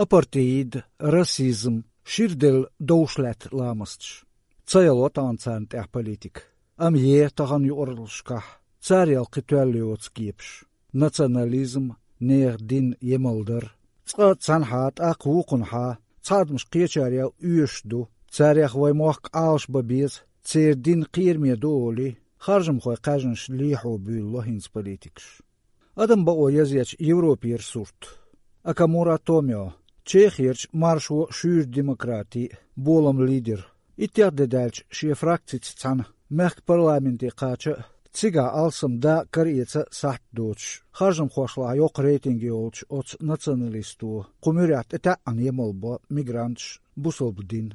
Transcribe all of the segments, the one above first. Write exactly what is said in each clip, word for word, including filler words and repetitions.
Апартеид, расизм, ширделла довш лаьтта ламасташ. Ца яло тахана царна тӀехь политика. Амма е тахана юкъараллашкахь, царел кхин тоьлла йоцу кепаш. Национализм, нехан дин емалдар. Цкъа цхьанхьа, тӀаккха вукхунхьа, цхьа адамаш кхечарел оьшуш ду. Царех вай мохк Ӏалашбан беза, церан дин кхераме ду олий, харжамхойн кхаьжнаш лехьо буьйлало хӀинца политикаш. Адам бакъо язъечу Европера сурт. Акамура Томио, Чехерчу маршо шуьйра демократи, болам лидер. Иттех де даьлча шен фракцица цхьаьна мехкан парламенте кхача а, цигахь алсам дакъа караэца а сахьт доцуш, харжамхошлахь йоккха рейтинг йолчу оцу националисто кху муьрехь тӀетаьӀӀана емал бо мигранташ, бусалба дин.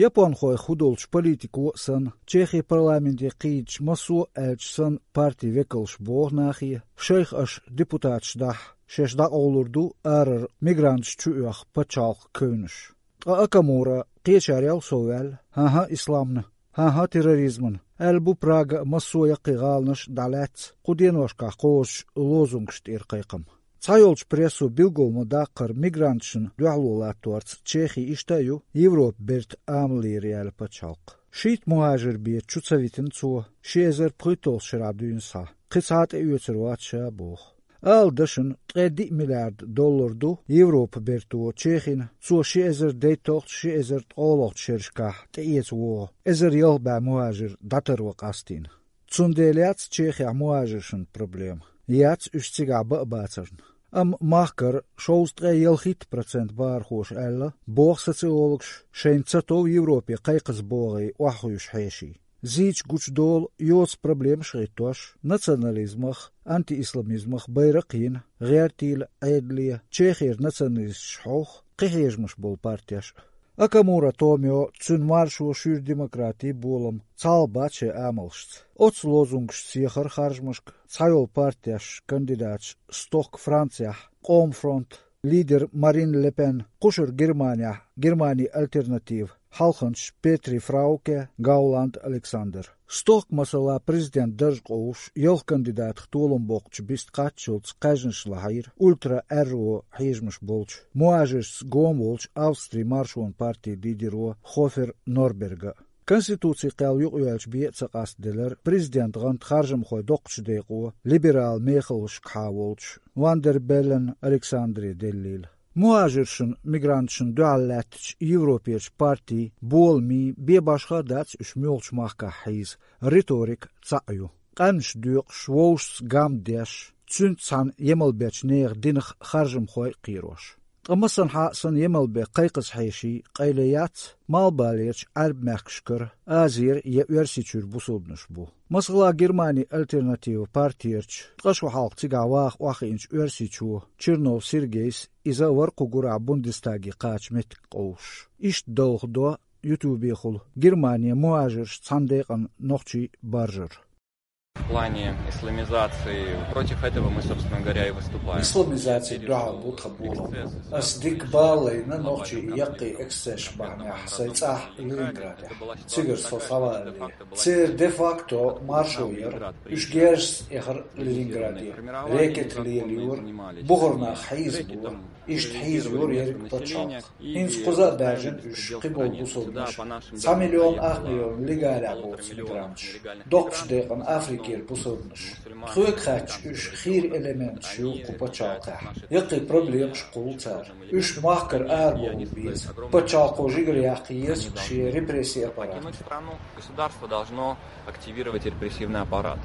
Японхойх хӀу долчу политико а санна, Чехин парламенте кхийдачу массо а аьлча санна партин векалш боху нахе, шайх аша депутаташ дахь, шаьш дӀакъовлур ду арара мигранташ чу оьху пачхьалкхан кевнаш. Ткъа Акамура, кхечарел а совваьлла, хӀан-хӀа, исламна, хӀан-хӀа, терроризмана, аьлла бу Прага а, массо а яккхий гӀаланаш а дӀалаьцна кху деношкахь кхочучу лозунгаш тӀера кхайкхам. Цхьайолчу прессо билггал ма-даккхара, мигранташна дуьхьало латторца Чехи иштта а ю Европа бертан амал лерина пачхьалкх. Шийтта мухӀажир бен чу ца витина цо, ши эзар пхийтталгӀачу шарахь дуьйна схьа, кхин цхьа а тӀеоьцур вац ша, боху. Ала дашна, ткъе диъ миллиард доллар ду Европа берто Чехина, цо ши эзар дейтталгӀачу, ши эзар ткъолгӀачу шерашкахь тӀеэца вогӀу эзар ялх бӀе мухӀажир дӀатарван къастийна. Цундела яц Чехехь мухӀажиршна проблема, яц уьш цигахь бан а бацарна. Амма махкара шовзткъе ялхитта процент бахархоша аьлла, боху социологаша, шайна ца тов Европе кхайкхаза богӀий охьахуьйсуш хьеший. Зийча гучудолу йоцу проблемаш а хӀиттош, национализмах, антиисламизмах байра а кхиъна, гӀертийла, Ӏедале, Чехера националисташ хьовха, кхин хьежамаш болу партеш а. Акамура Томио, цуьнан маршо шуьйра демократи, болам цхьалха бац шайн амалшца. Оццу лозунгашца сехара харжамашка цхьайолу партеш кандидаташ, стохка Францехь Къоман фронт, лидер Марин Ле Пен, кхушара Германехь Германи альтернатива, хьалханчаш Петри Фрауке, Гауланд Александр. Стохка, масала, президент дарж къовсуш, ялх кандидатах толам боккхучу бист кхаччалц кхаьжнаш лахьийра ультра-аьрру хьежамаш болчу, мухӀажиршца гома волчу Австрин маршонан партин лидеро Хофер Норберга. Конституцин кхел юкъайоьллачу бен а ца къастаделира президентан гӀант харжамхойн доккхачу декъо, либерал мехаллашкахьа волчу Ван дер Беллен Александре деллийла. МухӀажиршна, мигранташна дуьхьал лаьттачу Европерчу партийн боламийн бен башха а дац уьш муьлхачу махкахь хьийза, риторика цхьаъ ю. Къаьмнаш доькъуш, вовшашца гам деш, цуьнца цхьаьна емал бечу нехан динах харжамхой а кхерош. Ткъа масанхьа а санна емал бен кхайкхаза хьеший къайле яц, Малхбалерчу Ӏаьрбийн мехкашкара, Азера я Оьрсийчуьра бусалбанаш бу. Масала, Германи альтернатива партерчу ткъа шо хьалха цигахь ваха охьахиъначу оьрсичо Чернов Сергейс, иза вара кху гурахь Бундестаге кхача меттиг къовсуш, иштта далхадо ютубехула Германе мухӀажирш цхьана декъана нохчий баржар. В плане исламизации, против этого мы, собственно говоря, и выступаем. Исламизацина дуьхьал бу тхан болам. Ас дика бала лайна нохчийн яккхий эксцессаш бахьанехь сайн цӀахь Ленинградехь. Цигара со схьавалале. Церан де-факто маршо яра, уьш герзашца эхара Ленинграде. Рекет лелайора, бухара нах хьийзабора. Иштта хьийзайора ерриг пачхьалкх. ХӀинца кхуза а баьржина уьш, кхиболу бусалбанаш, цхьа миллион ах миллион легалехь боцу мигранташ, доккхачу декъана Африкера бусалбанаш. Тхоьга хаьттича, уьш хийра элементаш ю кху пачхьалкхехь. Яккхий проблемаш кхуллу цара. Уьш махкара арабовла беза. Пачхьалкхо жигара яккха еза шен репрессийн аппарат. Государство должно активировать репрессивный аппарат.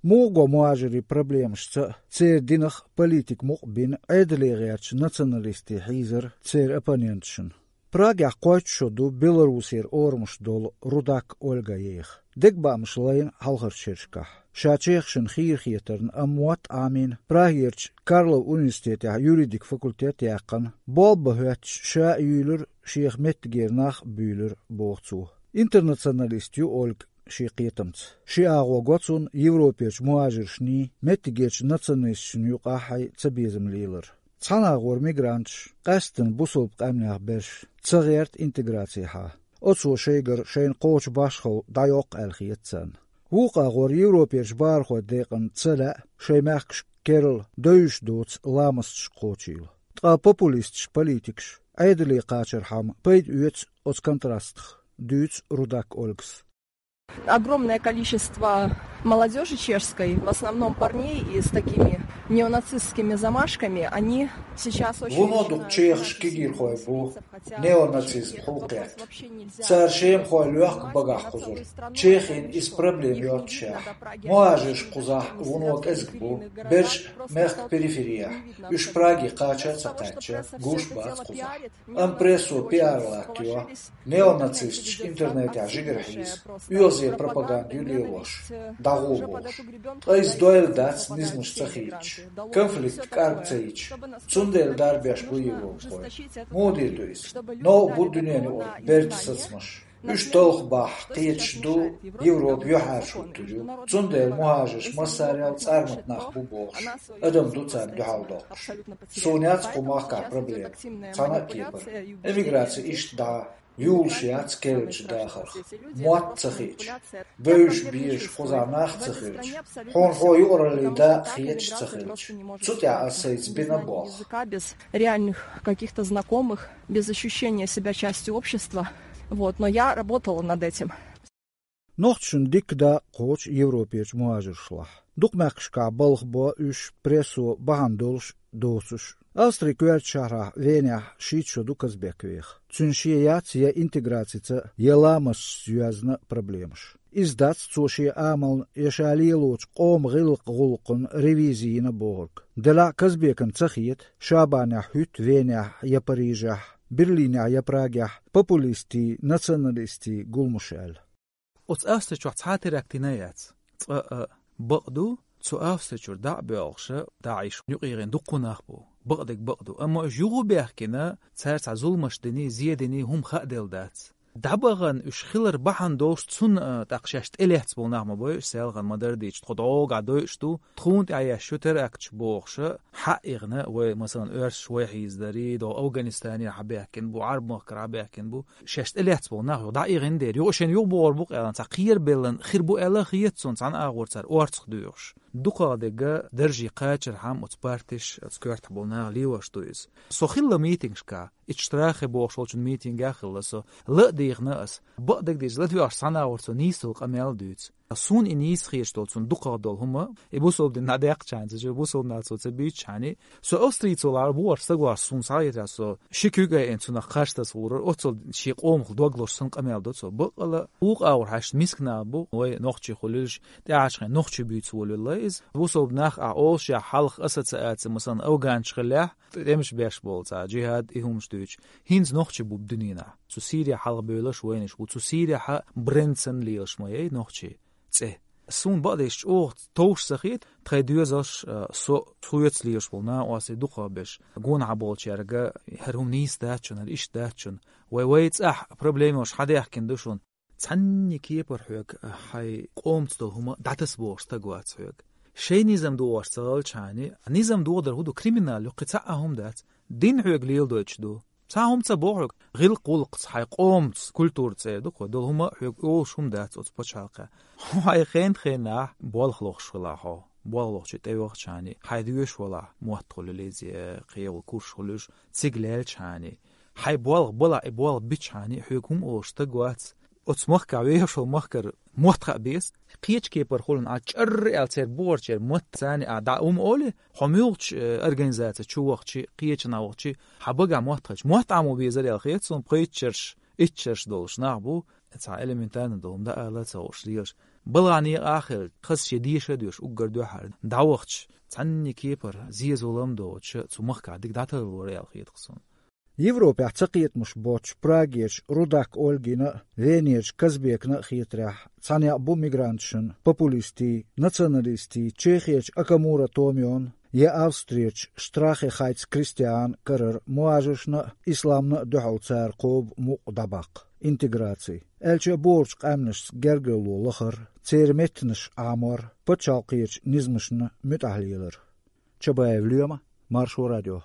Муха го мухӀажирийн проблемашца а, церан динах а политика мукъа бина, Ӏедале гӀертачу националистийн хьийзар церан оппоненташна. Прагехь кхойтта шо ду Беларусера орамаш долу Рудак Ольга еха. Дегабаамаш лайна хьалхарчу шерашкахь. Ша чехашна хийра хетарна, амма мотт Ӏамийна, Прагерчу Карлов университетехь юридик факультет яьккхина, болба хӀоьттича, ша а юьйлира, шех меттигера нах а буьйлира, боху цо. Интернационалист ю Ольга шен кхетамца. Ши агӀо го цунна Европерчу мухӀажиршний, меттигерчу националисташна юкъахь а ца безам лелар. Цхьана агӀор мигранташ, къаьсттина бусалба къаьмнех берш, ца гӀерта интеграцехьа. Оцо шайгара шайна кхочу башхалла дӀайоккху аьлла хета царна. Вукху агӀор Европерчу бахархойн декъана ца лаьа шайн мехкашка керла девзаш доцу ламасташ кхочийла. Ткъа популисташ, политикаш Ӏедале кхачархьама пайда оьцу оцу контрастах, дуьйцу Рудак Ольгас. Огромное количество молодёжи чешской, в основном парней, и с такими неонацистскими замашками, они сейчас очень... Вуно дукха чехаш кегийрхой бу, неонацизм хьулкхетта. Цара шемахой лоьхка багахь кхузара. Чехин иза проблема йоццушехь. Мухажирш кхузахь вуно кӀезиг бу, берш мехка периферехь. Уьш Праге кхача а ца кхаьчча, гуш бац кхузахь. Амма прессо пиар латтайо, неонацисташ интернетехь жигара хьийза, оьгӀазе пропаганда ю лелош, дӀагӀо бохуш. Ткъа иза дойла дац низамаш ца хийцча, конфликт кӀарга ца йича. Цундела дарбеш бу европахой. Муха дийр ду иза? Новкъа бу дуьненан юкъара берда сацамаш. Уьш талхбахь кхеташ ду, Европа юьхьӀаьржа хӀуттур ю. Цундела мухажирш массарел цӀармат нах бу бохуш, адам ду царна дуьхьал доккхуш. Суна яц кху махкахь проблема, цхьана а кепара. Эмиграци иштта дӀа юлуш яц керлачу дахарх. Мотт ца хиъча, бевзаш-безаш кхузахь нах ца хилча, хьуна хьо юкъараллин дакъа хеташ ца хилча. Цу тӀехь ас сайца бина болх. Без реальных каких-то знакомых, без ощущения себя частью общества. Вот, но я работала над этим. Нохчашна дикка дакъа кхочу Европерчу мухажиршлахь. Дукха мехкашкахь балха бо уьш, прессо бахьана долуш доцуш. Австрин коьртачу шахьарахь Венехь шийтта шо ду Казбек веха. Цуьнан шен яц я интеграцица, я ламасташца йоьзна проблемаш. Иза дац цо шен амална я ша лелочу къоман гӀиллакх-гӀуллакхна ревизи йина бохург. Делахь а Казбекна ца хета, Шабанехь хӀуьтту Венехь я Парижехь, Берлинехь я Прагехь популистийн, националистийн гуламаш аьлла. Оцу Австричохь цхьа а теракт йина яц. Цкъа а бакъ ду, цу Австричуьра дӀа а боьлхуша, ДАИШ юкъегӀин дуккха нах бу. Бакъдерг бакъ ду. Амма уьш юха баьхкина, цара цхьа зуламаш дина, зе дина, хӀума хааделла дац. ДӀабахана уьш хилар бахьана долуш цунна, а, тӀаккха шаьш тӀелаьцна болу нах ма бой, уьш селхана ма-дарра дийцча, тхо догӀа дойуш ду, тхуна тӀехь еш ю теракташ бохуша, хьаъ ихна, вай, масалан, оьрсаш вай хьийзадарий, догӀу Афганистане хьабаьхкина бу, Ӏарб-махкара хьабаьхкина бу, шаьш тӀелаьцна болу нах юха дӀаихина дера. Юха шайна юха бохур бу-кх аьлла, цхьа кхерабеллан хир бу аьлла а хета суна, цхьана агӀор цара орцах доьхуш. Дукхахдерг даржий кхачархьама оцу партиш, оцу коьртахь болу наха лелош ду иза. Со хилла митингашкахь, итт Штрахе бохуш волчун митингехь а хилла со, ла а дийхна ас, бакъдерг дийца ладоьгӀуш цхьана агӀор цо нийса долу къамел а дуьйцу. Суна и нийса хеташ долу, цунна дукхах долу хӀума, и бусалба дин дӀадаьккхачхьана, ца чу бусалба нах цо ца буьйцучхьана, со Австрийцо лара бохуш стаг вахча суна схьахетарехь, со ши куьг айина цунах кхаж таса гӀур вара, оццул шен къомах доглуш санна къамел до цо. Баккъала, вукху агӀор хьаьшна миска нах бу, вай нохчий хуьлуьйтуш, тӀаьхьарчу хенахь нохчий буьйцу волуьлла иза. Бусалба нах ахь олуш яхь хьалха ассоциаци, масалан, афганчу хиллехь, тӀемаш беш болу цхьа джихад, и хӀумаш дуьйцуш. ХӀинца нохчий бу дуьненахь. Цу Сирия хьалха бевлларш вайнаш бу. Цу Сирияхьа бренд санна лелаш ма яй нохчий цӀе. Суна бакъдерг чӀогӀа товш ца хета, тхайн доьзалш, а, со, соьца лелаш болу накъостий дукхах берш. Гонахьа болчаьрга хӀара хӀума нийса дац шуна, хӀара иштта дац шуна. Вай, вай цӀахь проблемаш хьадаьхкина ду шуна. Цхьанне кепара хьоьга, а, хьайн къомаца долу хӀума дӀатаса бохуш стаг вац хьоьга. Шайн низам догӀуш ца хилчхьана, низам догӀудар хӀун ду, криминал ю, кхин цхьа а хӀума дац. Дин хьоьга леладойтуш ду. Цхьа хӀума ца боху хьоьга, гӀиллакх-гӀуллакхца, хьайн къомаца, культура цӀера ду-кх вай, долу хӀума хьоьга олуш хӀума дац оцу пачхьалкхехь. Хьо хьайн хенахь-хенахь болх лохуш хилахь хьо, болх лохучу тӀевахчхьана, хьайн доьшуш валахь, мотт хуьлуьйту иза, кхин йолу курс хуьлуьйтуш, цига лаьллачхьана, хьайн болх балахь, и болх бичхьана, хьоьга хӀума олуш стаг вац. Оцу махкахь вехаш волу махкара мотт хаа беза. Кхечу кепара хуьлу, ахь чӀарра аьлла церан бухарчеран мотт царна ахь дӀа хӀума олий, хьо муьлххачу, э, организаци чу вахча, кхечанхьа вахча, хьан багахь мотт хилча, мотт Ӏамо безара аьлла хета суна, пхийтта шарш, итт шарш долуш нах бу, цхьа элементарно долу хӀума дӀаала а ца хууш лелаш. Балхана некъа а хилла, хаза шен деша а доьшуш, уггар дуьххьара дӀавахча, цхьанне кепара зен-зулам доцуша, цу махкахь дика дӀатарлора аьлла хета-кх суна. Европехь цакхетамаш боцчу Прагерчу Рудак Ольгина а, Венерчу Казбекна а хетарехь, цхьа некъ бу мигранташна, популистийн, националистийн, Чехерчу Окамура Томион я Австрерчу Штрахе-Хайц Кристиан карара мухажиршна а, исламна а дуьхьал цара кхобу мукъа дӀабаккха, интеграци. Аьлча а, бохурчу къаьмнашца гергарло лахар, церан меттанаш Ӏамор, пачхьалкхерчу низамашна муьтӀахь лелар. Чабаев Лоьма, Маршо радио.